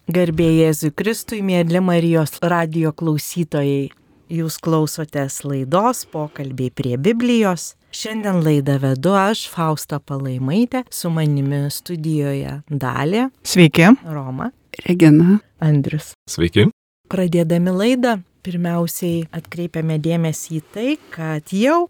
Garbė Jėzui Kristui, mėly Marijos radijo klausytojai. Jūs klausotės laidos Pokalbiai prie Biblijos. Šiandien laidą vedu aš, Fausta Palaimaitė, su manimi studijoje Dalė. Sveiki. Roma. Regina. Andrius. Sveiki. Pradėdami laidą, pirmiausiai atkreipiame dėmesį į tai, kad jau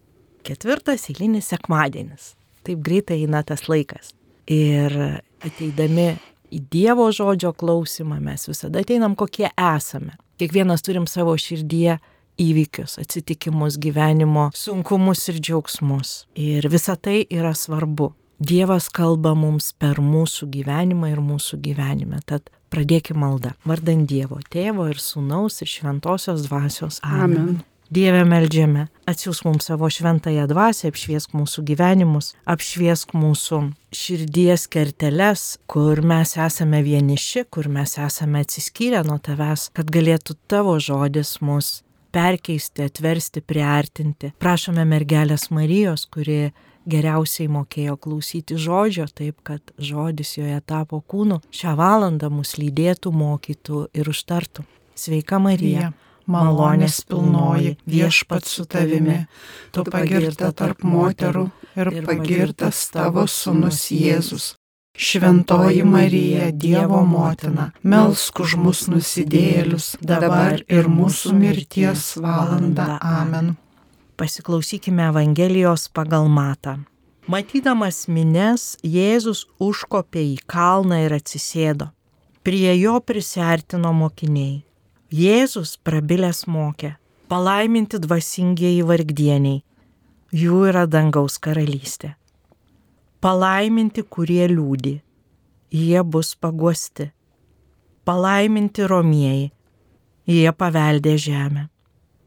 4. eilinis sekmadienis. Taip greitai eina tas laikas. Ir ateidami į Dievo žodžio klausimą mes visada ateinam kokie esame. Kiekvienas turim savo širdyje įvykius, atsitikimus, gyvenimo sunkumus ir džiaugsmus. Ir visa tai yra svarbu. Dievas kalba mums per mūsų gyvenimą ir mūsų gyvenime. Tad pradėkime maldą. Vardan Dievo, Tėvo ir Sūnaus ir Šventosios Dvasios. Amen. Dieve, meldžiame, atsiųsk mums savo šventąją dvasią, apšviesk mūsų gyvenimus, apšviesk mūsų širdies kerteles, kur mes esame vieniši, kur mes esame atsiskyrę nuo tavęs, kad galėtų tavo žodis mus perkeisti, atversti, priartinti. Prašome mergelės Marijos, kuri geriausiai mokėjo klausyti žodžio, taip kad žodis joje tapo kūnu, šią valandą mus lydėtų, mokytų ir užtartų. Sveika Marija. Malonės pilnoji, Viešpats su tavimi, tu pagirta tarp moterų ir pagirtas tavo sūnus Jėzus. Šventoji Marija, Dievo motina, melsk už mus nusidėjėlius, dabar ir mūsų mirties valandą. Amen. Pasiklausykime Evangelijos pagal Matą. Matydamas minias, Jėzus užkopė į kalną ir atsisėdo. Prie jo prisiartino mokiniai. Jėzus prabilęs mokė, palaiminti dvasingieji vargdieniai, jų yra dangaus karalystė. Palaiminti, kurie liūdi, jie bus paguosti. Palaiminti romieji, jie paveldė žemę.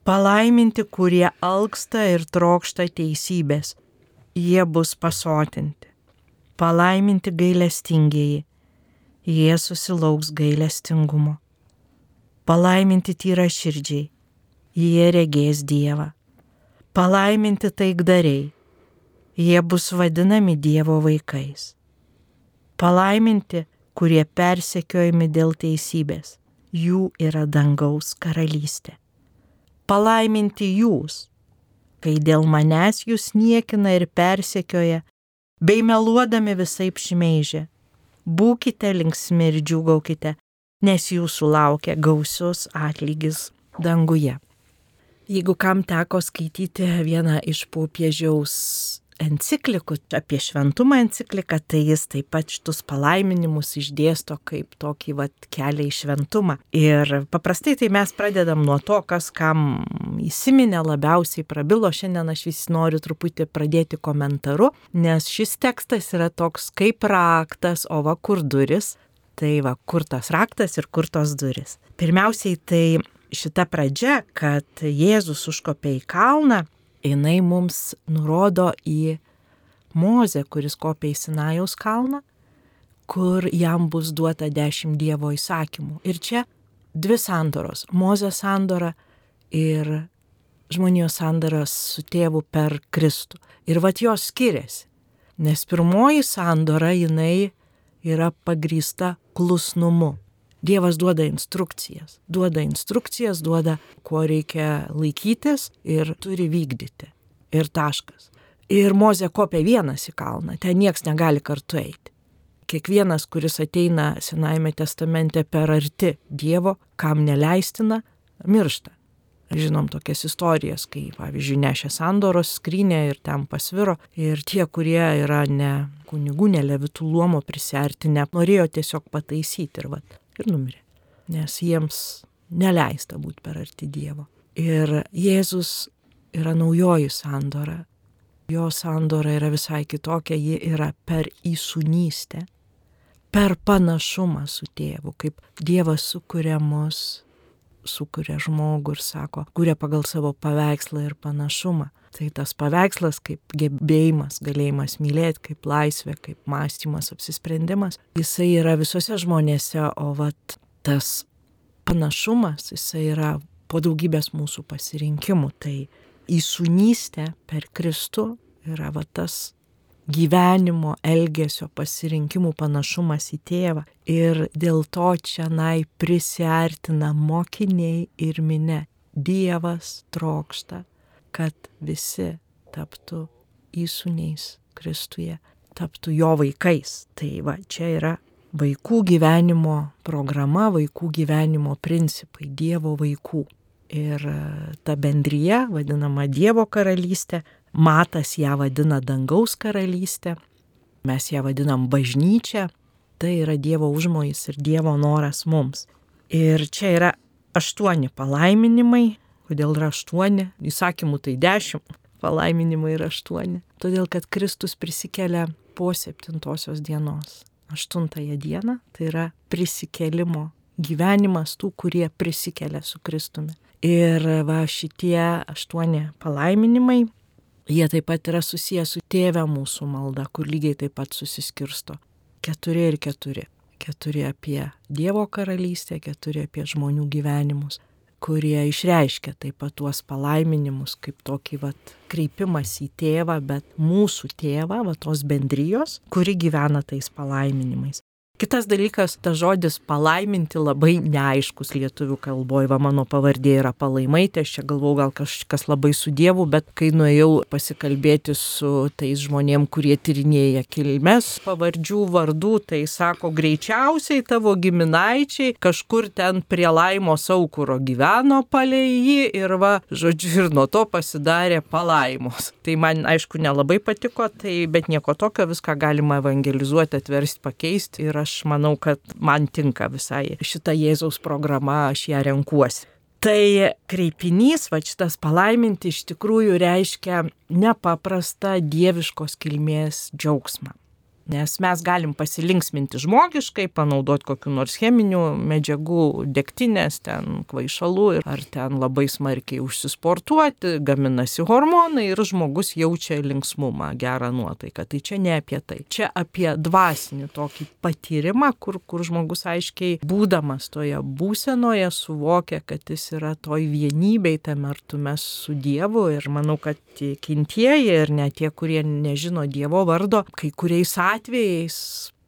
Palaiminti, kurie alksta ir trokšta teisybės, jie bus pasotinti. Palaiminti gailestingieji, jie susilauks gailestingumo. Palaiminti tyraširdžiai, jie regės Dievą. Palaiminti taikdariai, jie bus vadinami Dievo vaikais. Palaiminti, kurie persekiojami dėl teisybės, jų yra dangaus karalystė. Palaiminti jūs, kai dėl manęs jūs niekina ir persekioja, bei meluodami visaip šmeižia. Būkite linksmi ir džiūgaukite, nes jūsų laukia gausius atlygis danguje. Jeigu kam teko skaityti vieną iš popiežiaus enciklikų apie šventumą encikliką, tai jis taip pat šitus palaiminimus išdėsto kaip tokį kelią į šventumą. Ir paprastai tai mes pradedam nuo to, kas kam įsiminė, labiausiai prabilo. Šiandien aš vis noriu truputį pradėti komentaru, nes šis tekstas yra toks kaip raktas, o va kur duris. Tai va, kur tas raktas ir kur tos duris. Pirmiausiai tai šita pradžia, kad Jėzus užkopė į kalną, jinai mums nurodo į Mozę, kuris kopė į Sinajaus kalną, kur jam bus duota 10 Dievo įsakymų. Ir čia 2 sandoros. Mozės sandora ir žmonijos sandoras su tėvu per Kristų. Ir vat jos skiriasi, nes pirmoji sandora jinai yra pagrįsta klusnumu. Dievas duoda instrukcijas, duoda, ko reikia laikytis ir turi vykdyti. Ir taškas. Ir Mozė kopė vienas į kalną, ten nieks negali kartu eiti. Kiekvienas, kuris ateina Senajame testamente per arti Dievo, kam neleistina, miršta. Žinom tokias istorijas, kai, pavyzdžiui, nešė sandoros skrynę ir ten pasviro. Ir tie, kurie yra ne kunigų, ne levitų luomo prisiartinę, norėjo tiesiog pataisyti ir numirė. Nes jiems neleista būti per arti Dievo. Ir Jėzus yra naujoji sandora. Jo sandora yra visai kitokia, ji yra per įsūnystę, per panašumą su tėvu, kaip Dievas sukuria mus, sukuria žmogų ir sako, kuria pagal savo paveikslą ir panašumą. Tai tas paveikslas kaip gebėjimas, galėjimas mylėti, kaip laisvė, kaip mąstymas, apsisprendimas, jisai yra visose žmonėse, o tas panašumas, jisai yra po daugybės mūsų pasirinkimų. Tai įsūnystė per Kristų yra tas gyvenimo, elgesio, pasirinkimų panašumas į tėvą. Ir dėl to čionai prisiartina mokiniai ir minia. Dievas trokšta, kad visi taptų įsūniais Kristuje, taptų jo vaikais. Tai va, čia yra vaikų gyvenimo programa, vaikų gyvenimo principai, Dievo vaikų. Ir ta bendrija, vadinama Dievo karalystė, Matas ją vadina dangaus karalystė, mes ją vadinam bažnyčia, tai yra Dievo užmojis ir Dievo noras mums. Ir čia yra 8 palaiminimai. Kodėl yra 8? Įsakymų tai 10, palaiminimai yra 8. Todėl, kad Kristus prisikelia po 7 dienos. 8 dieną tai yra prisikėlimo gyvenimas tų, kurie prisikelia su Kristumi. Ir va šitie 8 palaiminimai, jie taip pat yra susiję su Tėve mūsų malda, kur lygiai taip pat susiskirsto. 4 ir 4. 4 apie Dievo karalystę, 4 apie žmonių gyvenimus, kurie išreiškia taip pat tuos palaiminimus kaip tokį kreipimas į tėvą, bet mūsų tėvą, tos bendrijos, kuri gyvena tais palaiminimais. Kitas dalykas, tas žodis palaiminti labai neaiškus lietuvių kalboje. Mano pavardė yra Palaimaitė, aš čia galvau gal kažkas labai su Dievu, bet kai nuėjau pasikalbėti su tais žmonėm, kurie tyrinėja kilmes pavardžių vardų, tai sako, greičiausiai tavo giminaičiai kažkur ten prie Laimos Aukuro gyveno palei jį ir žodžiu, ir nuo to pasidarė Palaimos. Tai man aišku nelabai patiko, bet nieko tokio, viską galima evangelizuoti, atversti, pakeisti ir aš manau, kad man tinka visai šita Jėzaus programa, aš ją renkuosi. Tai kreipinys, šitas palaiminti iš tikrųjų reiškia nepaprastą dieviškos kilmės džiaugsmą. Nes mes galim pasilinksminti žmogiškai, panaudoti kokių nors cheminių medžiagų, degtinės, ten kvaišalų ar ten labai smarkiai užsisportuoti, gaminasi hormonai ir žmogus jaučia linksmumą, gerą nuotaiką. Tai čia ne apie tai. Čia apie dvasinį tokį patyrimą, kur žmogus aiškiai būdamas toje būsenoje suvokia, kad jis yra toj vienybėj, tame artume su Dievu. Ir manau, kad tikintieji ir net tie, kurie nežino Dievo vardo, kai kuriais atvejais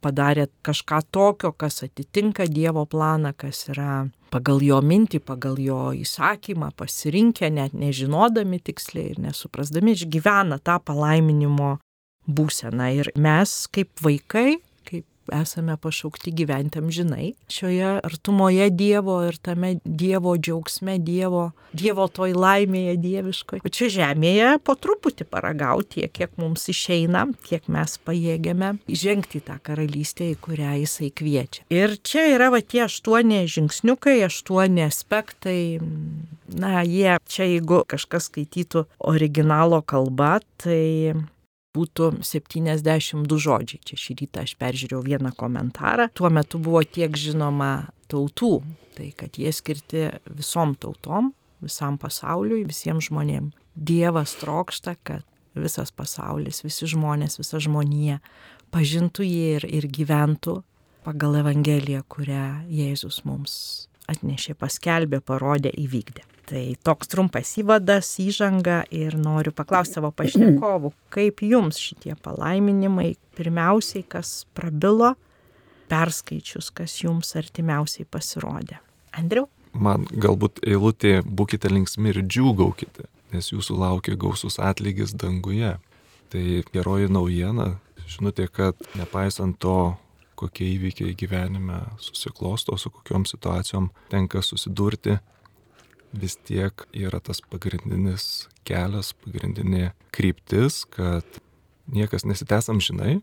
padarė kažką tokio, kas atitinka Dievo planą, kas yra pagal jo mintį, pagal jo įsakymą, pasirinkę, net nežinodami tiksliai ir nesuprasdami, išgyvena tą palaiminimo būseną. Ir mes kaip vaikai, esame pašaukti gyventi amžinai šioje artumoje Dievo ir tame Dievo džiaugsme, Dievo toj laimėje dieviškoje. O čia žemėje po truputį paragauti tiek, kiek mums išeina, kiek mes pajėgiame žengti tą karalystę, į kurią jisai kviečia. Ir čia yra tie 8 žingsniukai, 8 aspektai. Jie čia, jeigu kažkas skaitytų originalo kalba, tai būtų 72 žodžiai. Čia šį rytą aš peržiūrėjau vieną komentarą. Tuo metu buvo tiek žinoma tautų, tai kad jie skirti visom tautom, visam pasauliui, visiems žmonėms. Dievas trokšta, kad visas pasaulis, visi žmonės, visa žmonija pažintų jį ir gyventų pagal Evangeliją, kurią Jėzus mums atnešė, paskelbė, parodė, įvykdė. Tai toks trumpas įvadas, įžanga ir noriu paklausti savo pašnekovų, kaip jums šitie palaiminimai, pirmiausiai, kas prabilo, perskaičius, kas jums artimiausiai pasirodė. Andriau? Man galbūt eilutė būkite linksmi ir džiūgaukite, nes jūsų laukia gausus atlygis danguje. Tai geroji naujiena, žinote, kad nepaisant to, kokie įvykiai gyvenime susiklosto, su kokiom situacijom tenka susidurti, vis tiek yra tas pagrindinis kelias, pagrindinė kryptis, kad niekas nesitęs amžinai,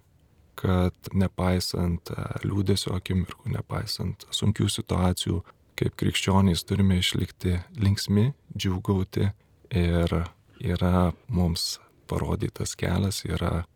kad nepaisant liūdesio akimirkų, nepaisant sunkių situacijų, kaip krikščionys turime išlikti linksmi, džiūgauti ir yra mums parodytas kelias, yra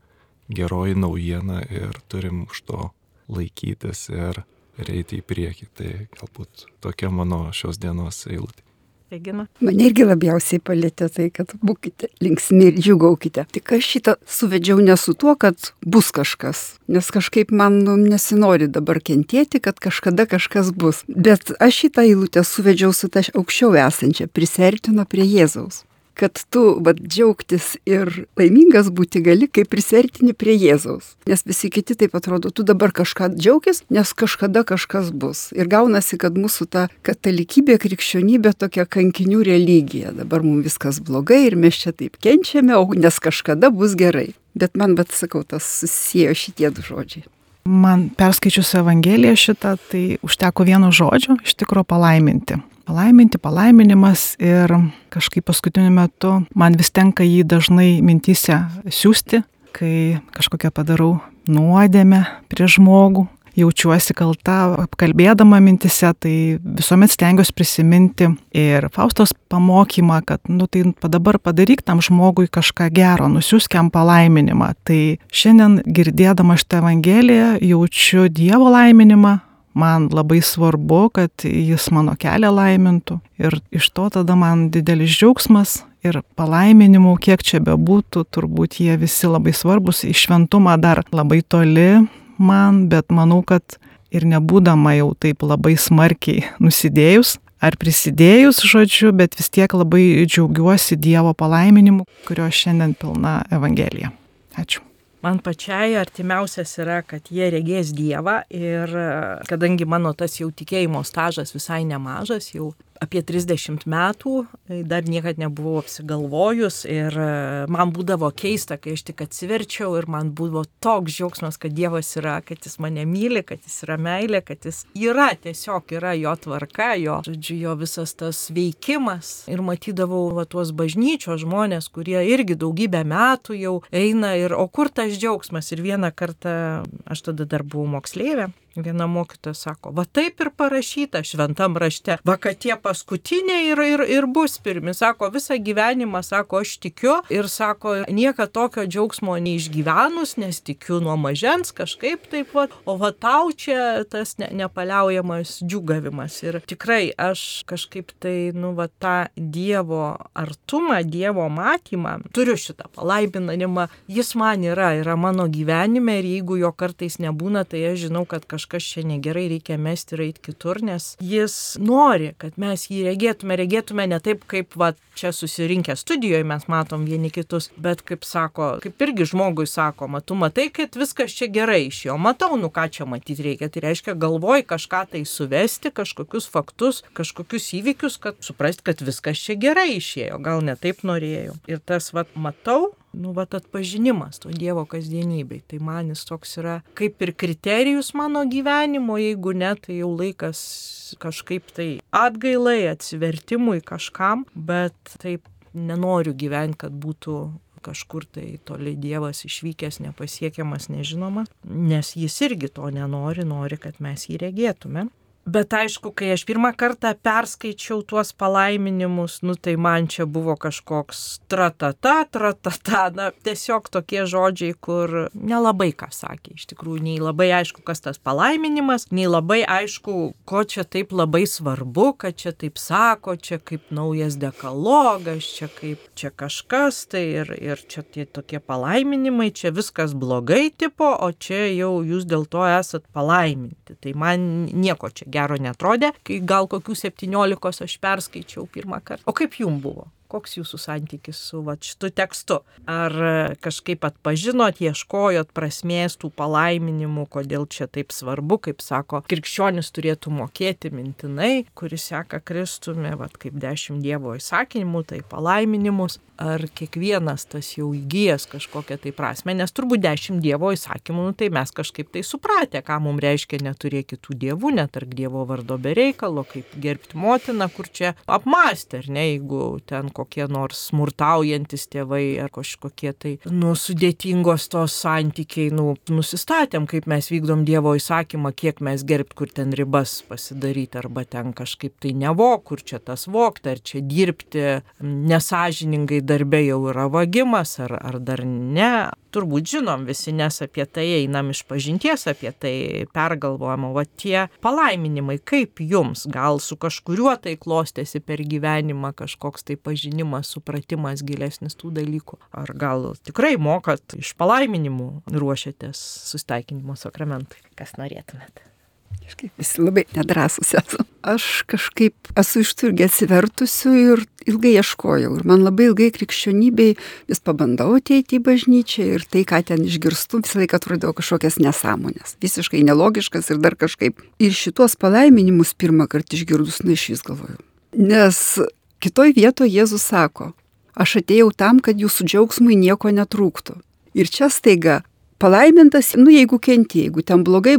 geroji naujiena ir turim už to laikytis ir eiti į priekį. Tai galbūt tokia mano šios dienos eilutė. Regina? Mane irgi labiausiai palėtė tai, kad būkite linksmi ir džiūgaukite. Tik aš šitą suvedžiau ne su tuo, kad bus kažkas, nes kažkaip man nesinori dabar kentėti, kad kažkada kažkas bus. Bet aš šitą eilutę suvedžiau su ta aukščiau esančia, prisiartino prie Jėzaus. kad tu džiaugtis ir laimingas būti gali, kai prisartini prie Jėzaus. Nes visi kiti taip atrodo, tu dabar kažką džiaugis, nes kažkada kažkas bus. Ir gaunasi, kad mūsų ta katalikybė, krikščionybė tokia kankinių religija. Dabar mums viskas blogai ir mes čia taip kenčiame, nes kažkada bus gerai. Bet man, sakau, tas susijėjo šitie du žodžiai. Man perskaičius Evangeliją šitą, tai užteko vieno žodžio, iš tikro palaiminti. Palaiminti, palaiminimas ir kažkaip paskutiniu metu man vis tenka jį dažnai mintyse siųsti, kai kažkokią padarau nuodėmę prieš žmogų. Jaučiuosi kalta, apkalbėdama mintise, tai visuomet stengiuosi prisiminti ir Faustos pamokymą, kad tai dabar padaryk tam žmogui kažką gero, nusiųsk jam palaiminimą. Tai šiandien girdėdama šitą Evangeliją jaučiu Dievo laiminimą, man labai svarbu, kad jis mano kelią laimintų ir iš to tada man didelis džiaugsmas ir palaiminimų, kiek čia bebūtų, turbūt jie visi labai svarbus, į šventumą dar labai toli man, bet manau, kad ir nebūdama jau taip labai smarkiai nusidėjus ar prisidėjus, žodžiu, bet vis tiek labai džiaugiuosi Dievo palaiminimu, kurio šiandien pilna Evangelija. Ačiū. Man pačiai artimiausias yra, kad jie regės Dievą ir kadangi mano tas jau tikėjimo stažas visai nemažas, jau apie 30 metų, dar niekad nebuvau apsigalvojus ir man būdavo keista, kai aš tik atsiverčiau ir man buvo toks džiaugsmas, kad Dievas yra, kad jis mane myli, kad jis yra meilė, kad jis yra, tiesiog yra jo tvarka, jo visas tas veikimas. Ir matydavau tuos bažnyčios žmonės, kurie irgi daugybę metų jau eina ir o kur tas džiaugsmas? Ir vieną kartą, aš tada dar buvau moksleivė, viena mokytoja sako, taip ir parašyta šventam rašte, kad tie paskutiniai ir bus pirmi, sako, visą gyvenimą, sako, aš tikiu ir sako, nieka tokio džiaugsmo neišgyvenus, nes tikiu nuo mažens kažkaip taip, o tau čia tas nepaliaujamas džiūgavimas. Ir tikrai aš kažkaip tai, tą Dievo artumą, Dievo matymą, turiu šitą palaiminimą, jis man yra mano gyvenime ir jeigu jo kartais nebūna, tai aš žinau, kad kažkas čia negerai, reikia mesti ir eiti kitur, nes jis nori, kad mes jį regėtume ne taip, kaip čia susirinkę studijoje mes matom vieni kitus, bet kaip sako, kaip irgi žmogui sako, tu matai, kad viskas čia gerai išėjo, matau, ką čia matyti reikia, tai reiškia galvoj kažką tai suvesti, kažkokius faktus, kažkokius įvykius, kad suprasti, kad viskas čia gerai išėjo, gal ne taip norėjau. Ir tas matau, atpažinimas to Dievo kasdienybei. Tai man jis toks yra kaip ir kriterijus mano gyvenimo, jeigu ne, tai jau laikas kažkaip tai atgailai, atsivertimui kažkam, bet taip nenoriu gyventi, kad būtų kažkur tai toli Dievas išvykęs, nepasiekiamas, nežinomas, nes jis irgi to nori, kad mes jį regėtume. Bet aišku, kai aš pirmą kartą perskaičiau tuos palaiminimus, tai man čia buvo kažkoks tratata, tiesiog tokie žodžiai, kur nelabai ką sakė. Iš tikrųjų, nei labai aišku, kas tas palaiminimas, nei labai aišku, ko čia taip labai svarbu, kad čia taip sako, čia kaip naujas dekalogas, čia kažkas, tai ir čia tie tokie palaiminimai, čia viskas blogai tipo, o čia jau jūs dėl to esat palaiminti. Tai man nieko čia gero netrodė, kai gal kokių 17 aš perskaičiau pirmą kartą. O kaip jums buvo? Koks jūsų santykis su šitu tekstu? Ar kažkaip atpažinot, ieškojot prasmės tų palaiminimų, kodėl čia taip svarbu, kaip sako, krikščionis turėtų mokėti mintinai, kuris seka Kristumi, kaip 10 Dievo įsakymų, tai palaiminimus, ar kiekvienas tas jau įgijęs kažkokią tai prasmę, nes turbūt 10 Dievo įsakymų, tai mes kažkaip tai supratę, ką mums reiškia neturėti kitų dievų, netark Dievo vardo be reikalo, kaip gerbti motiną, kur čia apmąstė, ar ne, jeigu ten kokie nors smurtaujantis tėvai ar kažkokie tai, sudėtingos tos santykiai, nusistatėm, kaip mes vykdom Dievo įsakymą, kiek mes gerbt, kur ten ribas pasidaryti, arba ten kažkaip tai nevok, kur čia tas vokti, ar čia dirbti nesąžiningai darbe jau yra vagimas, ar dar ne. Turbūt žinom visi, nes apie tai einam iš pažinties, apie tai pergalvojama. Tie palaiminimai, kaip jums, gal su kažkuriuo tai klostėsi per gyvenimą kažkoks tai pažinimas, supratimas gilesnis tų dalykų. Ar gal tikrai mokat iš palaiminimų ruošiatės susitaikinimo sakramentui? Kas norėtumėt? Visi labai nedrąsus esu. Aš kažkaip esu iš tų irgi atsivertusių ir ilgai ieškojau. Ir man labai ilgai krikščionybei vis pabandau ateiti į bažnyčią ir tai, ką ten išgirstu, visą laiką atrodavo kažkokias nesąmonės. Visiškai nelogiškas ir dar kažkaip. Ir šitos palaiminimus pirmą kartą išgirdus, iš vis galvoju. Nes kitoj vietoje Jėzus sako, aš atėjau tam, kad jūsų džiaugsmui nieko netrūktų. Ir čia staiga palaimintas, jeigu kenti, jeigu ten blogai,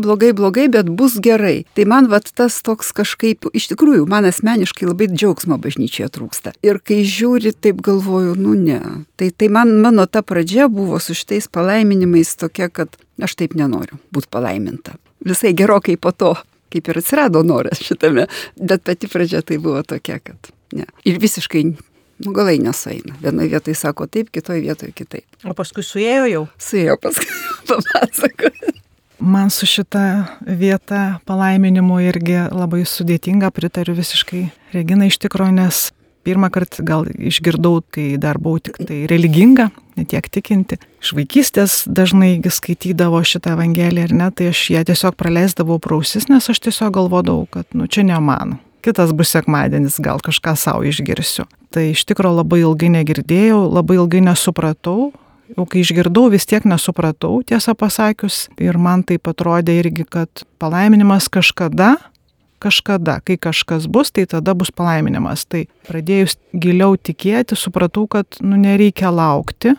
bet bus gerai. Tai man tas toks kažkaip, iš tikrųjų, man asmeniškai labai džiaugsmo bažnyčioje trūksta. Ir kai žiūri, taip galvoju, ne. Tai mano ta pradžia buvo su šitais palaiminimais tokia, kad aš taip nenoriu būti palaiminta. Visai gerokai po to, kaip ir atsirado noras šitame, bet pati pradžia tai buvo tokia, kad ne. Ir visiškai galai nesueina. Vienoje vietoje sako taip, kitoje vietoje kitaip. O paskui suėjo jau? Suėjo paskui, papasakoju. Man su šita vieta palaiminimu irgi labai sudėtinga, pritariu visiškai Regina iš tikro, nes pirmą kartą gal išgirdau, kai dar buvau tik tai religinga, ne tiek tikinti. Iš vaikystės dažnai skaitydavo šitą evangeliją ir tai aš ją tiesiog praleisdavau pro ausis, nes aš tiesiog galvodavau, kad čia ne man. Kitas bus sekmadienis, gal kažką savo išgirsiu. Tai iš tikro labai ilgai negirdėjau, labai ilgai nesupratau. Jau kai išgirdau, vis tiek nesupratau, tiesą pasakius. Ir man taip atrodė irgi, kad palaiminimas kažkada, kai kažkas bus, tai tada bus palaiminimas. Tai pradėjus giliau tikėti, supratau, kad nereikia laukti,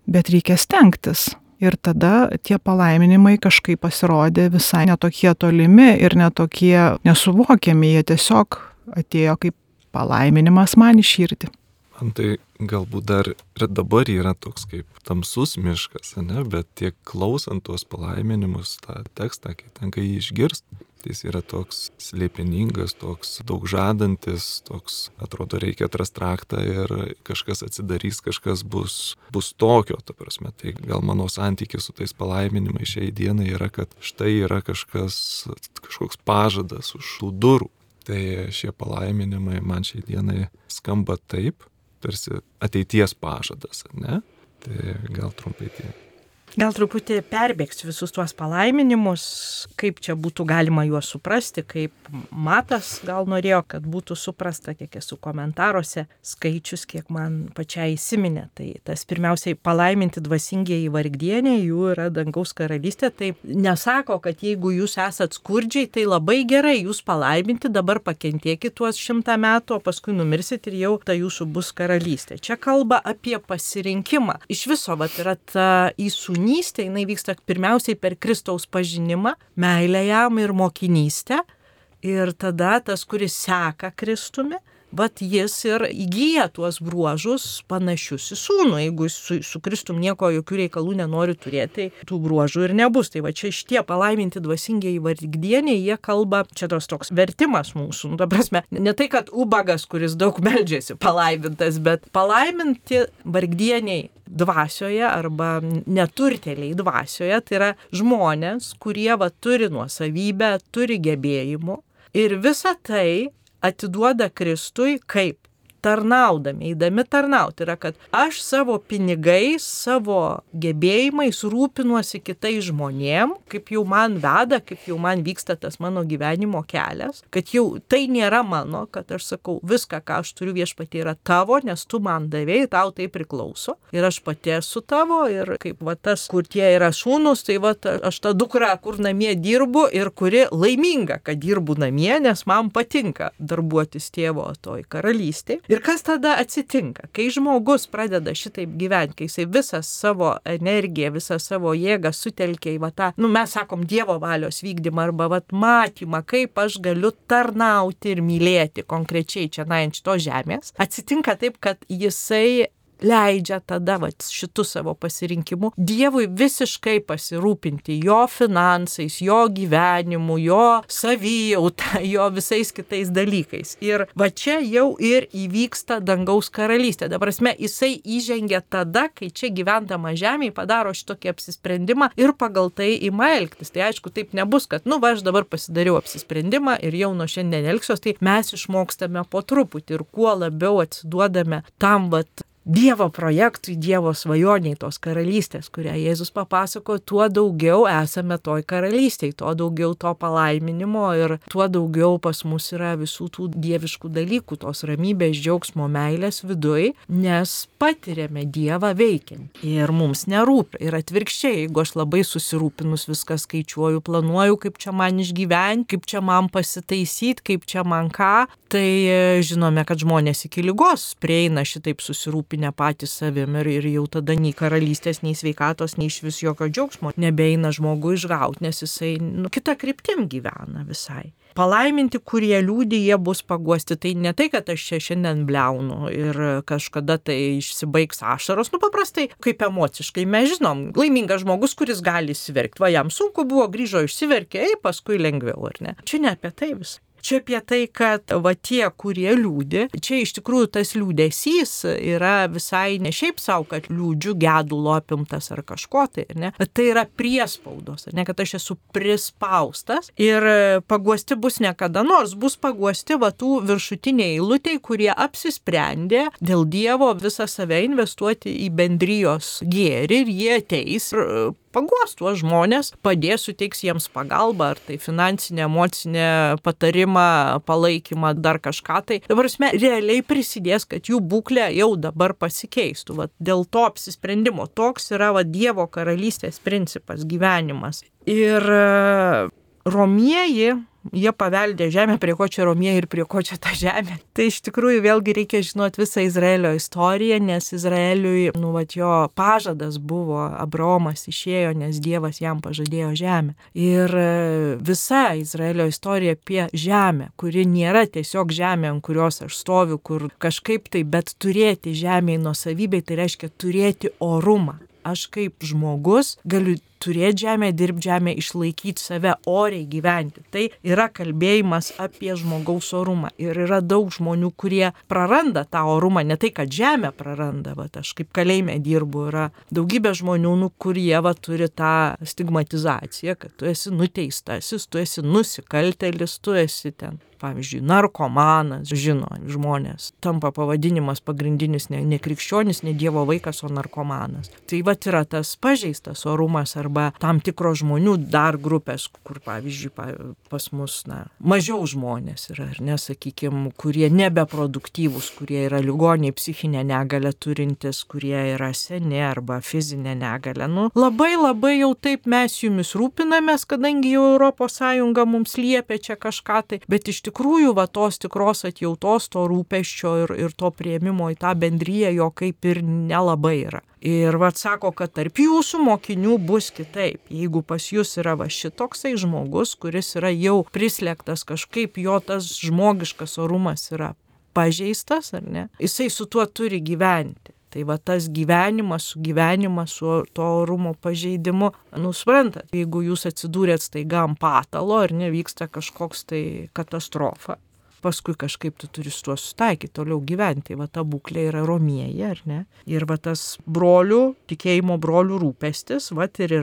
bet reikia stengtis. Ir tada tie palaiminimai kažkaip pasirodė visai netokie tolimi ir netokie nesuvokiami, jie tiesiog atėjo kaip palaiminimas man į širdį. Man tai galbūt dar ir dabar yra toks kaip tamsus miškas, bet tiek klausant tuos palaiminimus, tą tekstą, kai tenka jį išgirst, jis yra toks slėpiningas, toks daug žadantis, toks, atrodo, reikia atrast raktą ir kažkas atsidarys, kažkas bus tokio, ta prasme. Tai gal mano santykis su tais palaiminimais šiai dienai yra, kad štai yra kažkoks pažadas už tų durų. Tai šie palaiminimai man šiai dienai skamba taip, tarsi ateities pažadas, ne? Tai gal trumpai tiek. Gal truputį perbėgsiu visus tuos palaiminimus, kaip čia būtų galima juos suprasti, kaip Matas gal norėjo, kad būtų suprasta, kiek esu komentaruose skaičius, kiek man pačiai įsiminė. Tai tas pirmiausiai palaiminti dvasingieji vargdieniai, jų yra dangaus karalystė. Tai nesako, kad jeigu jūs esat skurdžiai, tai labai gerai, jūs palaiminti, dabar pakentėkit tuos 100 metų, o paskui numirsit ir jau ta jūsų bus karalystė. Čia kalba apie pasirinkimą. Iš viso yra ta įsūnystė, jinai vyksta pirmiausiai per Kristaus pažinimą, meilę jam ir mokinystę. Ir tada tas, kuris seka Kristumi, jis ir įgyja tuos bruožus panašius į sūnų. Jeigu su Kristum nieko, jokių reikalų nenori turėti, tai tų bruožų ir nebus. Tai čia šitie palaiminti dvasingieji vargdieniai, jie kalba, čia toks vertimas mūsų. Ta prasme, ne tai, kad ubagas, kuris daug meldžiasi, palaimintas, bet palaiminti vargdieniai dvasioje arba neturtėliai dvasioje, tai yra žmonės, kurie turi nuosavybę, turi gebėjimų ir visą tai atiduoda Kristui kaip tarnaudami, eidami tarnauti. Yra, kad aš savo pinigais, savo gebėjimais rūpinuosi kitais žmonėm, kaip jau man veda, kaip jau man vyksta tas mano gyvenimo kelias, kad jau tai nėra mano, kad aš sakau, viską, ką aš turiu viešpatie yra tavo, nes tu man davėjai, tau tai priklauso. Ir aš pati esu tavo ir kaip tas, kur tie yra sūnus, tai aš ta dukra, kur namie dirbu ir kuri laiminga, kad dirbu namie, nes man patinka darbuotis tėvo toj karalystėje. Ir kas tada atsitinka, kai žmogus pradeda šitaip gyventi, kai jisai visą savo energiją, visą savo jėgą sutelkia į tą, mes sakom, Dievo valios vykdymą arba matymą, kaip aš galiu tarnauti ir mylėti konkrečiai čia ant šitos žemės, atsitinka taip, kad jisai leidžia tada šitų savo pasirinkimų Dievui visiškai pasirūpinti jo finansais, jo gyvenimu, jo savijauta, jo visais kitais dalykais. Ir čia jau ir įvyksta dangaus karalystė. Ta prasme, jisai įžengia tada, kai čia gyvendama žemėje padaro šitokį apsisprendimą ir pagal tai ima elgtis. Tai aišku, taip nebus, kad aš dabar pasidariau apsisprendimą ir jau nuo šiandien elgsiuos, tai mes išmokstame po truputį ir kuo labiau atsiduodame tam Dievo projektui, Dievo svajoniai, tos karalystės, kurią Jėzus papasako, tuo daugiau esame toj karalystėje, tuo daugiau to palaiminimo ir tuo daugiau pas mus yra visų tų dieviškų dalykų, tos ramybės, džiaugsmo, meilės viduj, nes patiriame Dievą veikiant ir mums nerūpi. Ir atvirkščiai, jeigu aš labai susirūpinus viską skaičiuoju, planuoju, kaip čia man išgyventi, kaip čia man pasitaisyti, kaip čia man ką, tai žinome, kad žmonės iki ligos prieina šitaip susirūpinę patys savim ir jau tada nei karalystės, nei sveikatos, nei iš vis jokio džiaugsmo nebeina žmogų išgauti, nes jisai kitą kryptim gyvena visai. Palaiminti, kurie liūdi, jie bus paguosti. Tai ne tai, kad aš čia šiandien bliaunu ir kažkada tai išsibaigs ašaros. Paprastai, kaip emociškai, mes žinom, laimingas žmogus, kuris gali įsiverkti. Va, jam sunku buvo, grįžo, išsiverkė, paskui lengviau, ar ne? Čia ne apie tai vis. Čia apie tai, kad va tie, kurie liūdi, čia iš tikrųjų tas liūdesys yra visai ne šiaip savo, kad liūdžiu, gedulo apimtas ar kažko tai, ne? Tai yra priespaudos, ne, kad aš esu prispaustas ir paguosti bus ne kada nors, bus paguosti va tų viršutiniai eilutei, kurie apsisprendė dėl Dievo visą save investuoti į bendrijos gėrį ir jie ateis ir paguos tuos žmonės, padės, suteiks jiems pagalbą, ar tai finansinę, emocinę patarimą, palaikymą, dar kažką tai. Dabar realiai prisidės, kad jų būklė jau dabar pasikeistų. Vat, dėl to apsisprendimo toks yra Dievo karalystės principas, gyvenimas. Ir romieji, jie paveldė žemę, prie ko čia romieji ir prie ko čia ta žemė. Tai iš tikrųjų vėlgi reikia žinoti visą Izraelio istoriją, nes Izraeliui, jo pažadas buvo, Abraomas išėjo, nes Dievas jam pažadėjo žemę. Ir visa Izraelio istorija apie žemę, kuri nėra tiesiog žemė, ant kurios aš stoviu, kur kažkaip tai, bet turėti žemėje nuosavybei, tai reiškia turėti orumą. Aš kaip žmogus galiu turėti žemę, dirbti žemę, išlaikyti save, oriai gyventi. Tai yra kalbėjimas apie žmogaus orumą. Ir yra daug žmonių, kurie praranda tą orumą, ne tai, kad žemę praranda. Aš kaip kalėjime dirbu, yra daugybė žmonių, kurie turi tą stigmatizaciją, kad tu esi nuteistasis, tu esi nusikaltėlis, tu esi ten. Pavyzdžiui, narkomanas, žino žmonės, tampa pavadinimas pagrindinis ne krikščionis, ne Dievo vaikas, o narkomanas. Tai yra tas pažeistas orumas arba tam tikros žmonių dar grupės, kur pavyzdžiui pas mus mažiau žmonės yra, ar ne, sakykime, kurie nebeproduktyvūs, kurie yra ligoniai, psichinę negalę turintis, kurie yra seni arba fizinę negalę. Labai jau taip mes jumis rūpinamės, kadangi jau ES mums liepia čia kažką tai, bet iš tikrųjų, tos tikros atjautos, to rūpesčio ir to priėmimo į tą bendriją jo kaip ir nelabai yra. Ir sako, kad tarp jūsų mokinių bus kitaip. Jeigu pas jūs yra šitoksai žmogus, kuris yra jau prislėgtas, kažkaip jo tas žmogiškas orumas yra pažeistas, ar ne, jisai su tuo turi gyventi. Tai tas gyvenimas su to orumo pažeidimu, suprantat, jeigu jūs atsidūrėt staiga ant patalo, ar nevyksta kažkoks tai katastrofa, paskui kažkaip tu turi su tuo susitaikyti, toliau gyventi. Ta būklė yra romieji, ar ne? Ir tas tikėjimo brolių rūpestis, ir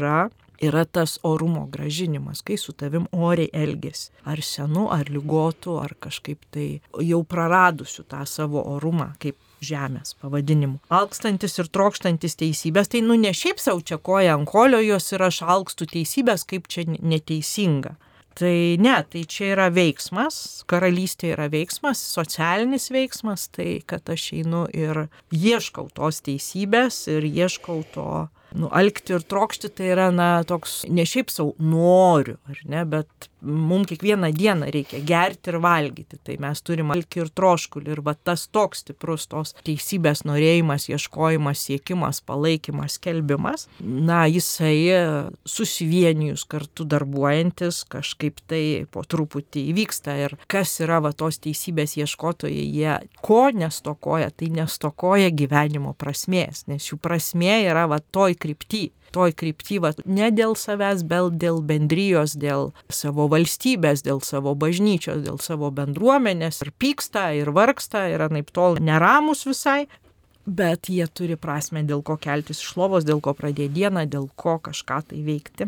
yra tas orumo gražinimas, kai su tavim oriai elgesi. Ar senu, ar ligotu, ar kažkaip tai jau praradusiu tą savo orumą, kaip žemės pavadinimu. Alkstantis ir trokštantis teisybės, tai ne šiaip savo čia koja ant kolio jos ir aš alkstu teisybės, kaip čia neteisinga. Tai ne, tai čia yra veiksmas, karalystė yra veiksmas, socialinis veiksmas, tai kad aš einu ir ieškau tos teisybės ir ieškau to, alkti ir trokšti, tai yra toks, ne šiaip savo noriu, ar ne, bet mums kiekvieną dieną reikia gerti ir valgyti, tai mes turim alkį ir troškulį ir tas toks stiprus tos teisybės norėjimas, ieškojimas, siekimas, palaikymas, skelbimas, jisai susivienijus kartu darbuojantis kažkaip tai po truputį įvyksta ir kas yra tos teisybės ieškotojai, jie ko nestokoja, tai nestokoja gyvenimo prasmės, nes jų prasmė yra toj krypty, ne dėl savęs, bet dėl bendrijos, dėl savo valstybės, dėl savo bažnyčios, dėl savo bendruomenės ir pyksta, ir vargsta, ir anaiptol neramus visai, bet jie turi prasmę, dėl ko keltis iš lovos, dėl ko pradėti dieną, dėl ko kažką tai veikti.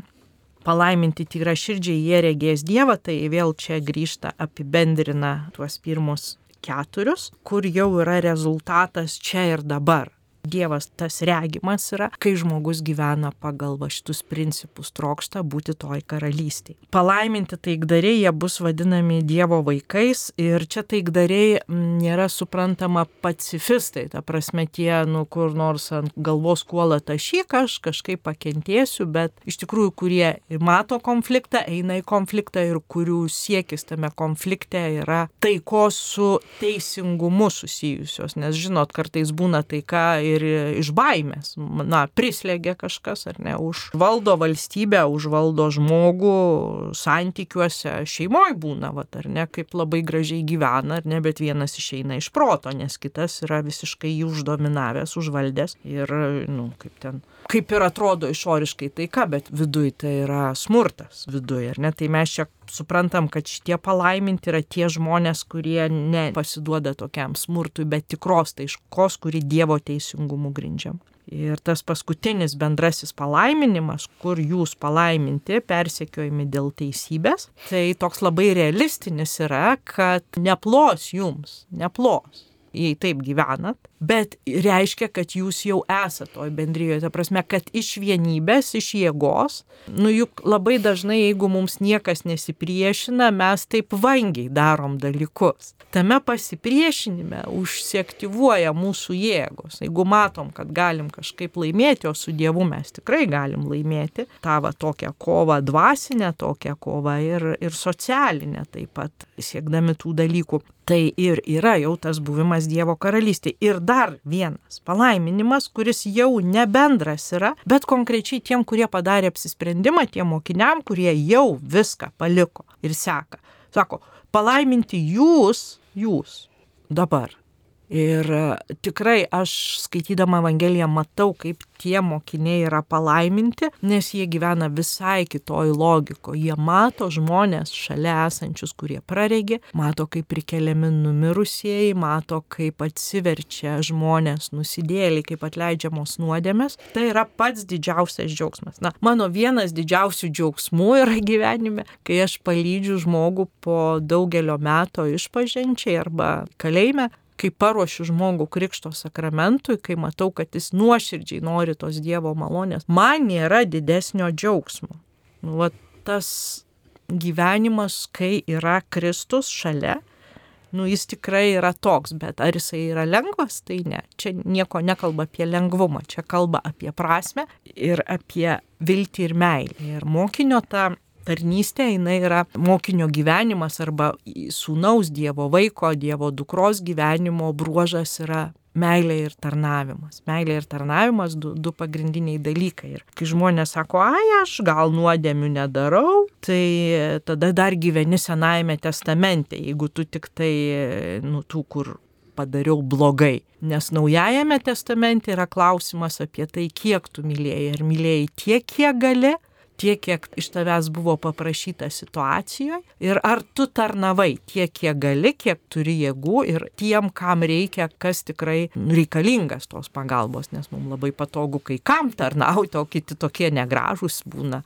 Palaiminti tyraširdžiai, jie regės Dievą, tai vėl čia grįžta, apibendrina tuos pirmus 4, kur jau yra rezultatas čia ir dabar. Dievas tas regimas yra, kai žmogus gyvena pagal šitus principus, trokšta būti toj karalystėje. Palaiminti taikdariai, jie bus vadinami Dievo vaikais ir čia taikdariai nėra suprantama pacifistai, ta prasme tie, kur nors ant galvos kuola tašyk, aš kažkaip pakentėsiu, bet iš tikrųjų, kurie mato konfliktą, eina į konfliktą ir kurių siekis tame konflikte yra taikos su teisingumu susijusios, nes žinot, kartais būna taika ir iš baimės, prislėgia kažkas, ar ne, užvaldo valstybę, užvaldo žmogų santykiuose, šeimoje būna, ar ne, kaip labai gražiai gyvena, ar ne, bet vienas išeina iš proto, nes kitas yra visiškai jį uždominavęs, užvaldęs ir, kaip ir atrodo išoriškai taika, bet viduj tai yra smurtas, viduj, ar ne, tai mes čia suprantam, kad šitie palaiminti yra tie žmonės, kurie nepasiduoda tokiam smurtui, bet tikros taikos, kuri Dievo teisingumu grindžiam. Ir tas paskutinis bendrasis palaiminimas, kur jūs palaiminti, persekiojami dėl teisybės, tai toks labai realistinis yra, kad neplos jums, neplos, jei taip gyvenat, bet reiškia, kad jūs jau esate toj bendrijoje, ta prasme, kad iš vienybės, iš jėgos, juk labai dažnai, jeigu mums niekas nesipriešina, mes taip vangiai darom dalykus. Tame pasipriešinime užsiaktyvuoja mūsų jėgos. Jeigu matom, kad galim kažkaip laimėti, o su Dievu mes tikrai galim laimėti, tą tokią kovą dvasinę, tokią kovą ir socialinę taip pat, siekdami tų dalykų. Tai ir yra jau tas buvimas Dievo karalystėje. Ir dar vienas palaiminimas, kuris jau nebendras yra, bet konkrečiai tiem, kurie padarė apsisprendimą, tiem mokiniam, kurie jau viską paliko ir seka. Sako, palaiminti jūs dabar. Ir tikrai aš skaitydama Evangeliją matau, kaip tie mokiniai yra palaiminti, nes jie gyvena visai kitoj logiko. Jie mato žmonės šalia esančius, kurie praregė, mato, kaip prikeliami numirusieji, mato, kaip atsiverčia žmonės nusidėliai, kaip atleidžiamos nuodėmės. Tai yra pats didžiausias džiaugsmas. Mano vienas didžiausių džiaugsmų yra gyvenime, kai aš palydžiu žmogų po daugelio metų išpažinčiai arba kalėjime, kai paruošiu žmogų krikšto sakramentui, kai matau, kad jis nuoširdžiai nori tos Dievo malonės, man nėra didesnio džiaugsmo. Tas gyvenimas, kai yra Kristus šalia, jis tikrai yra toks, bet ar jisai yra lengvas, tai ne. Čia nieko nekalba apie lengvumą, čia kalba apie prasmę ir apie viltį ir meilę. Ir mokinio ta tarnystė, jinai yra mokinio gyvenimas arba sūnaus Dievo vaiko, Dievo dukros gyvenimo bruožas yra meilė ir tarnavimas. Meilė ir tarnavimas du pagrindiniai dalykai. Ir kai žmonės sako, aš gal nuodėmių nedarau, tai tada dar gyveni Senajame testamente, jeigu tu tik tai, tų, kur padariau blogai. Nes Naujajame testamente yra klausimas apie tai, kiek tu mylėjai. Ar mylėjai tiek, kiek gali, tiek, kiek iš tavęs buvo paprašyta situacijoje ir ar tu tarnavai tiek, kiek gali, kiek turi jėgų ir tiem, kam reikia, kas tikrai reikalingas tos pagalbos, nes mums labai patogu kai kam tarnauti, o kiti tokie negražūs būna,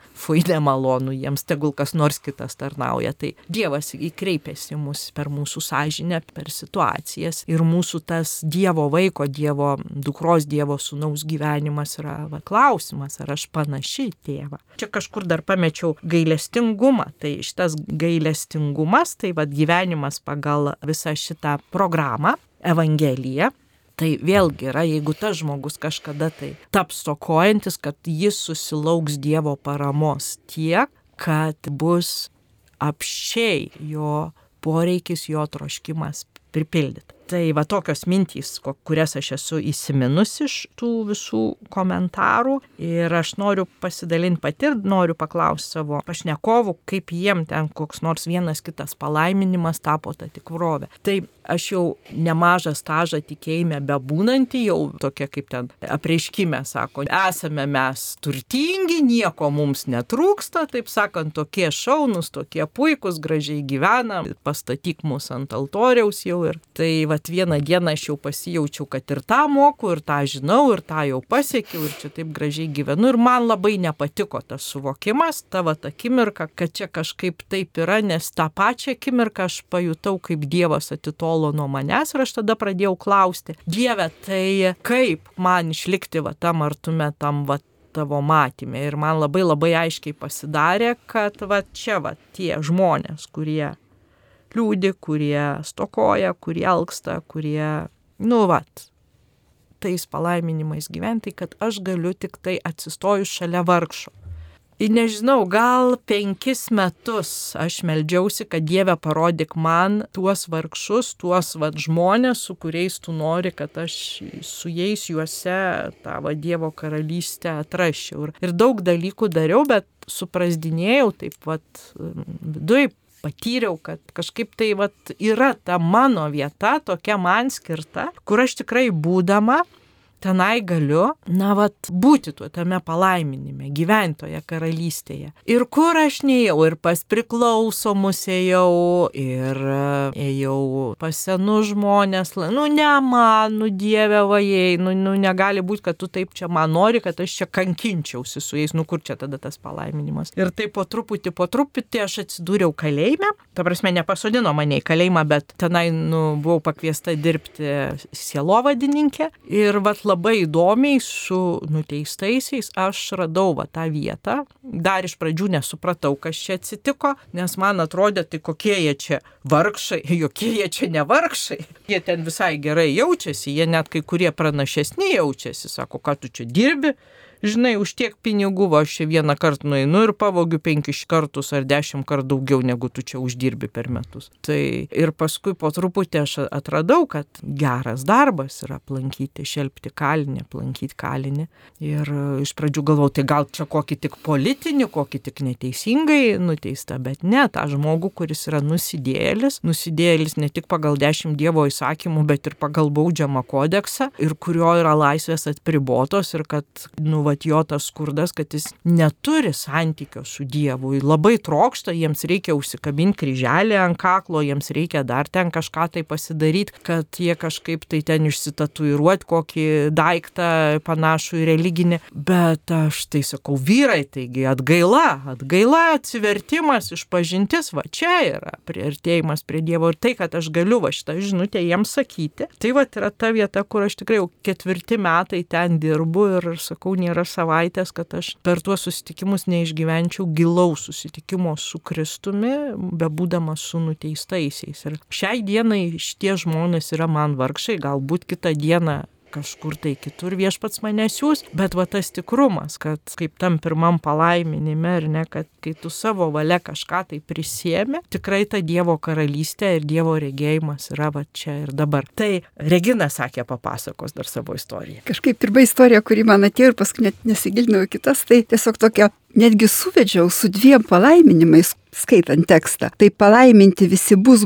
nemalonu, jiems tegul kas nors kitas tarnauja. Tai Dievas įkreipėsi mus per mūsų sąžinę, per situacijas ir mūsų tas Dievo vaiko, Dievo dukros, Dievo sūnaus gyvenimas yra klausimas, ar aš panaši į tėvą. Čia kažkur dar pamečiau gailestingumą. Tai šitas gailestingumas, tai gyvenimas pagal visą šitą programą, Evangeliją. Tai vėlgi yra, jeigu tas žmogus kažkada tai taps stokojantis, kad jis susilauks Dievo paramos tiek, kad bus apsčiai jo poreikis, jo troškimas pripildyti. Tai tokios mintys, kurias aš esu įsiminusi iš tų visų komentarų ir aš noriu pasidalinti pati ir noriu paklausti savo pašnekovų, kaip jiem ten koks nors vienas kitas palaiminimas tapo ta tikrovė. Tai aš jau nemažą stažą tikėjime bebūnantį, jau tokia kaip ten apreiškime sako, esame mes turtingi, nieko mums netrūksta, taip sakant, tokie šaunus, tokie puikus, gražiai gyvenam, pastatyk mus ant altoriaus jau Ir tai vat vieną dieną aš jau pasijaučiau, kad ir tą moku, ir tą žinau, ir tą jau pasiekiau, ir čia taip gražiai gyvenu. Ir man labai nepatiko tas suvokimas, ta vat akimirka, kad čia kažkaip taip yra, nes tą pačią akimirką aš pajutau, kaip Dievas atitolo nuo manęs ir aš tada pradėjau klausti, Dieve, tai kaip man išlikti va tam artume, tam va tavo matyme. Ir man labai labai aiškiai pasidarė, kad va čia va tie žmonės, kurie liūdi, kurie stokoja, kurie alksta, kurie, tais palaiminimais gyventi, kad aš galiu tik tai atsistojus šalia vargšo. Ir nežinau, gal 5 metus aš meldžiausi, kad Dieve parodyk man tuos vargšus, tuos žmonės, su kuriais tu nori, kad aš su jais juose tavo Dievo karalystę atrasčiau. Ir daug dalykų dariau, bet suprasdinėjau taip viduj. Patyriau, kad kažkaip tai yra ta mano vieta, tokia man skirta, kur aš tikrai būdama tenai galiu, būti tame palaiminime, gyventi toje karalystėje. Ir kur aš neėjau, ir pas priklausomus ėjau, ir ėjau pas senus žmonės, ne man, Dieve vajai, negali būti, kad tu taip čia man nori, kad aš čia kankinčiausi su jais, kur čia tada tas palaiminimas. Ir taip po truputį aš atsidūriau kalėjime, ta prasme nepasodino mane į kalėjimą, bet tenai buvau pakviesta dirbti sielovadininkė ir labai įdomiai su nuteistaisiais aš radau tą vietą. Dar iš pradžių nesupratau, kas čia atsitiko, nes man atrodė, tai kokie jie čia vargšai, jokie jie čia ne vargšai. Jie ten visai gerai jaučiasi, jie net kai kurie pranašesni jaučiasi, sako, ką tu čia dirbi. Žinai, už tiek pinigų aš čia vieną kartą nueinu ir pavogiu 5 kartus ar 10 kartų daugiau, negu tu čia uždirbi per metus. Tai ir paskui po truputį aš atradau, kad geras darbas yra aplankyti, šelpti kalinį, aplankyti kalinį. Ir iš pradžių galvojau, tai gal čia kokį tik politinį, kokį tik neteisingai nuteista, bet ne, tą žmogų, kuris yra nusidėjėlis ne tik pagal 10 Dievo įsakymų, bet ir pagal baudžiamą kodeksą, ir kurio yra laisvės apribotos ir kad, jo tas skurdas, kad jis neturi santykio su Dievu. Labai trokšta, jiems reikia užsikabinti kryželį ant kaklo, jiems reikia dar ten kažką tai pasidaryti, kad jie kažkaip tai ten išsitatuiruoti kokį daiktą panašų į religinį. Bet aš tai sakau, vyrai, taigi atgaila, atsivertimas, išpažintis, čia yra priartėjimas prie Dievo ir tai, kad aš galiu šitą žinutę jiems sakyti. Tai yra ta vieta, kur aš tikrai jau 4 metai ten dirbu ir sakau, nėra savaitės, kad aš per tuos susitikimus neišgyvenčiau gilaus susitikimo su Kristumi, bebūdamas su nuteistaisiais. Ir šiai dienai šitie žmonės yra man vargšai, galbūt kitą dieną kažkur tai kitur viešpats mane siūs, bet tas tikrumas, kad kaip tam pirmam palaiminime, ir ne, kad kai tu savo valia kažką tai prisiemi, tikrai ta Dievo karalystė ir Dievo regėjimas yra čia ir dabar. Tai Regina sakė, papasakos dar savo istoriją. Kažkaip pirma istorija, kuri man atėjo ir paskui net nesigilinau į kitas, tai tiesiog tokia, netgi suvedžiau su 2 palaiminimais, skaitant tekstą. Tai palaiminti visi bus,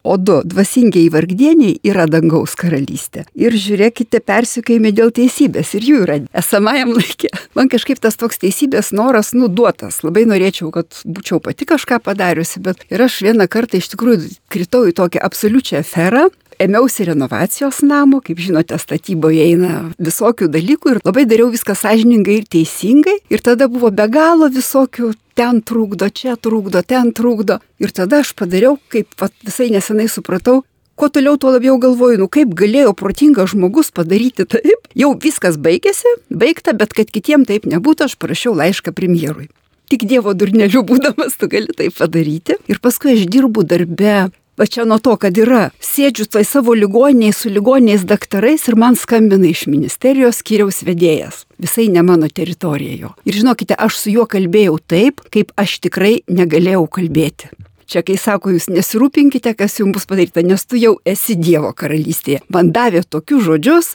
o 2 dvasingieji vargdieniai yra dangaus karalystė. Ir žiūrėkite, persekiojami dėl teisybės ir jų yra esamajam laikė. Man kažkaip tas toks teisybės noras duotas. Labai norėčiau, kad būčiau pati kažką padariusi, bet ir aš vieną kartą iš tikrųjų kritau į tokią absoliučią aferą. Ėmiausi renovacijos namo, kaip žinote, statyboje eina visokių dalykų ir labai dariau viską sąžiningai ir teisingai. Ir tada buvo be galo visokių, ten trukdo, čia trukdo, ten trukdo. Ir tada aš padariau, kaip visai nesenai supratau, kuo toliau tuo labiau galvoju, kaip galėjo protingas žmogus padaryti taip. Jau viskas baigta, bet kad kitiem taip nebūtų, aš parašiau laišką premjerui. Tik Dievo durneliu būdamas tu gali tai padaryti. Ir paskui aš dirbu darbe. Va čia nuo to, kad sėdžiu savo ligoninėje su ligoniniais daktarais ir man skambina iš ministerijos skyriaus vedėjas. Visai ne mano teritorija jo. Ir žinokite, aš su juo kalbėjau taip, kaip aš tikrai negalėjau kalbėti. Čia kai sako, jūs nesirūpinkite, kas jums bus padaryta, nes tu jau esi Dievo karalystėje. Man davė tokius žodžius,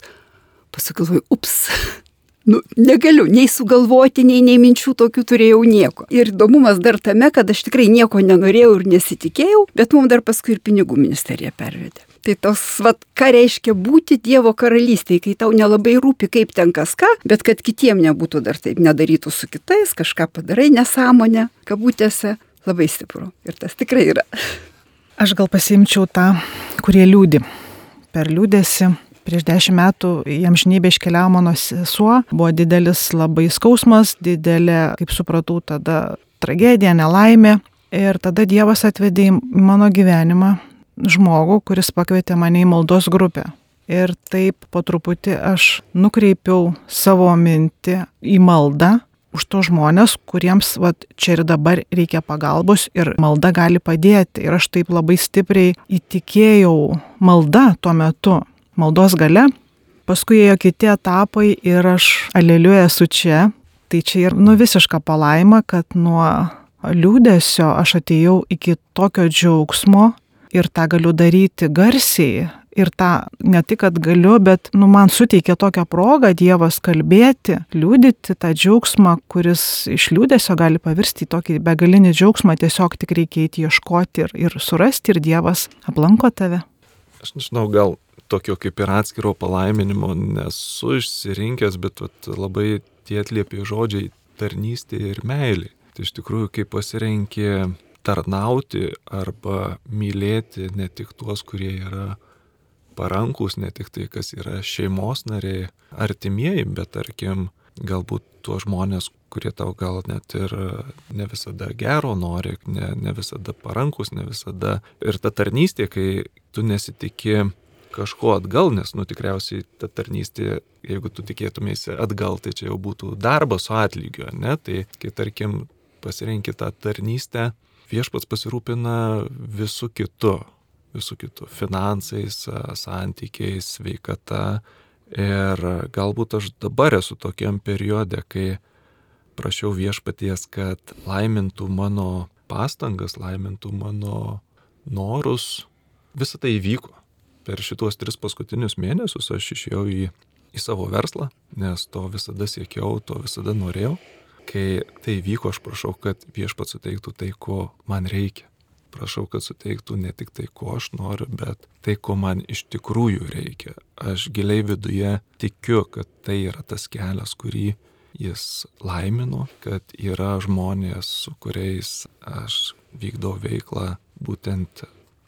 pasakiau, negaliu nei sugalvoti, nei minčių tokių turėjau nieko. Ir įdomumas dar tame, kad aš tikrai nieko nenorėjau ir nesitikėjau, bet mums dar paskui ir pinigų ministerija pervedė. Tai tos, ką reiškia būti Dievo karalystėje, kai tau nelabai rūpi, kaip ten kas ką, bet kad kitiem nebūtų dar taip, nedarytų su kitais, kažką padarai nesąmonę, kabutėse, labai stipru. Ir tas tikrai yra. Aš gal pasiimčiau tą kurie liūdi. Per liūdėsi prieš 10 metų į amžinybę iškeliavo mano sesuo, buvo didelis labai skausmas, didelė, kaip supratau, tada tragedija, nelaimė. Ir tada Dievas atvedė į mano gyvenimą žmogų, kuris pakvietė mane į maldos grupę. Ir taip po truputį aš nukreipiau savo mintį į maldą už tos žmonės, kuriems čia ir dabar reikia pagalbos ir malda gali padėti. Ir aš taip labai stipriai įtikėjau malda tuo metu, maldos gale. Paskui ėjo kiti etapai ir aš aleliuja esu čia. Tai čia ir visiška palaima, kad nuo liūdesio aš atėjau iki tokio džiaugsmo ir tą galiu daryti garsiai. Ir tą ne tik, kad galiu, bet man suteikia tokią progą Dievas kalbėti, liūdyti tą džiaugsmą, kuris iš liūdesio gali pavirsti į tokį begalinį džiaugsmą, tiesiog tik reikia eiti ieškoti ir surasti ir Dievas aplanko tave. Aš nežinau, gal tokio kaip ir atskiro palaiminimo nesu išsirinkęs, bet labai tie atliepi žodžiai tarnystė ir meilė. Tai iš tikrųjų, kai pasirenki tarnauti arba mylėti ne tik tuos, kurie yra parankus, ne tik tai, kas yra šeimos nariai, artimieji, bet tarkim, galbūt tuos žmonės, kurie tau gal net ir ne visada gero nori, ne visada parankus, ne visada. Ir ta tarnystė, kai tu nesitikė kažko atgal, nes tikriausiai ta tarnystė, jeigu tu tikėtumėsi atgal, tai čia jau būtų darbas su atlygiu, ne? Tai kai tarkim pasirenki tą tarnystę, Viešpats pasirūpina visų kitų, finansais, santykiais, sveikata. Ir galbūt aš dabar esu tokiam periode, kai prašiau Viešpaties, kad laimintų mano pastangas, laimintų mano norus. Visą tai įvyko. Per šitos 3 paskutinius mėnesius aš išėjau į savo verslą, nes to visada siekiau, to visada norėjau. Kai tai vyko, aš prašau, kad Viešpats suteiktų tai, ko man reikia. Prašau, kad suteiktų ne tik tai, ko aš noriu, bet tai, ko man iš tikrųjų reikia. Aš giliai viduje tikiu, kad tai yra tas kelias, kurį jis laimino, kad yra žmonės, su kuriais aš vykdau veiklą, būtent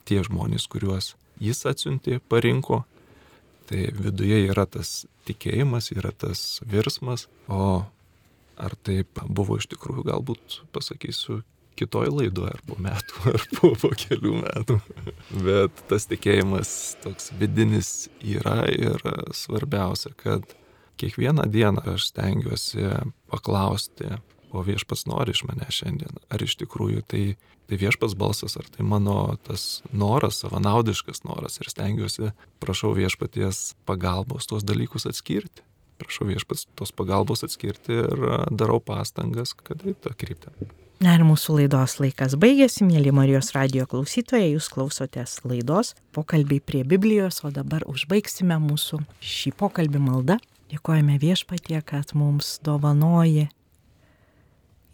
tie žmonės, kuriuos jis atsiuntė, parinko. Tai viduje yra tas tikėjimas, yra tas virsmas, o ar taip buvo iš tikrųjų, galbūt pasakysiu kitoj laidoje, ar po metų, ar po kelių metų. Bet tas tikėjimas toks vidinis yra ir svarbiausia, kad kiekvieną dieną aš stengiuosi paklausti, o Viešpats nori iš mane šiandien, ar iš tikrųjų tai Viešpats balsas, ar tai mano tas noras, savanaudiškas noras, ir stengiuosi, prašau Viešpaties pagalbos tuos dalykus atskirti. Prašau Viešpats tos pagalbos atskirti ir darau pastangas, kad tą kryptį. Na ir mūsų laidos laikas baigėsi, mėly Marijos radijo klausytojai, jūs klausotės laidos Pokalbiai prie Biblijos, o dabar užbaigsime mūsų šį pokalbį maldą. Dėkojame Viešpatie, kad mums dovanoji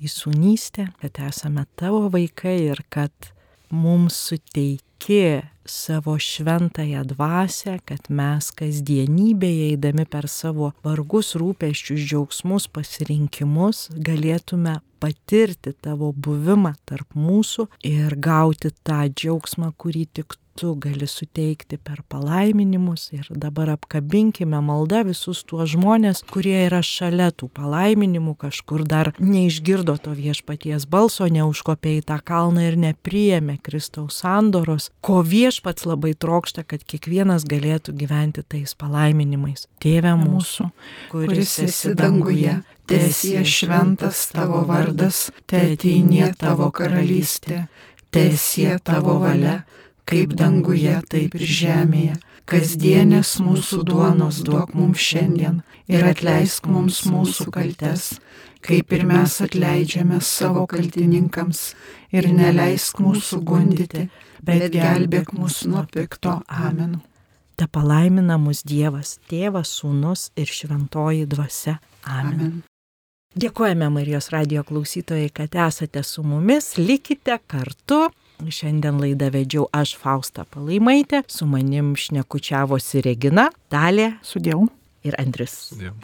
įsūnystę, kad esame tavo vaikai ir kad mums suteiki savo šventąją dvasią, kad mes kasdienybėje eidami per savo vargus, rūpesčius, džiaugsmus, pasirinkimus galėtume patirti tavo buvimą tarp mūsų ir gauti tą džiaugsmą, kurį tik tu gali suteikti per palaiminimus. Ir dabar apkabinkime maldą visus tuos žmonės, kurie yra šalia tų palaiminimų, kažkur dar neišgirdo to Viešpaties balso, neužkopė į tą kalną ir nepriėmė Kristaus sandoros, ko Viešpats labai trokšta, kad kiekvienas galėtų gyventi tais palaiminimais. Tėve mūsų, kuris esi danguje, teesie šventas tavo vardas, teateinie tavo karalystė, teesie tavo valia, kaip danguje, taip ir žemėje. Kasdienės mūsų duonos duok mums šiandien ir atleisk mums mūsų kaltes, kaip ir mes atleidžiame savo kaltininkams, ir neleisk mūsų gundyti, bet gelbėk mus nuo pikto. Amen. Te palaimina mus Dievas, Tėvas, Sūnus ir Šventoji Dvasia. Amen. Dėkojame Marijos radijo klausytojai, kad esate su mumis, likite kartu. Šiandien laidą vedžiau aš, Fausta Palaimaitė, su manim šnekučiavosi Regina, Dalė, Sudėjau, ir Andrius. Sudėjau.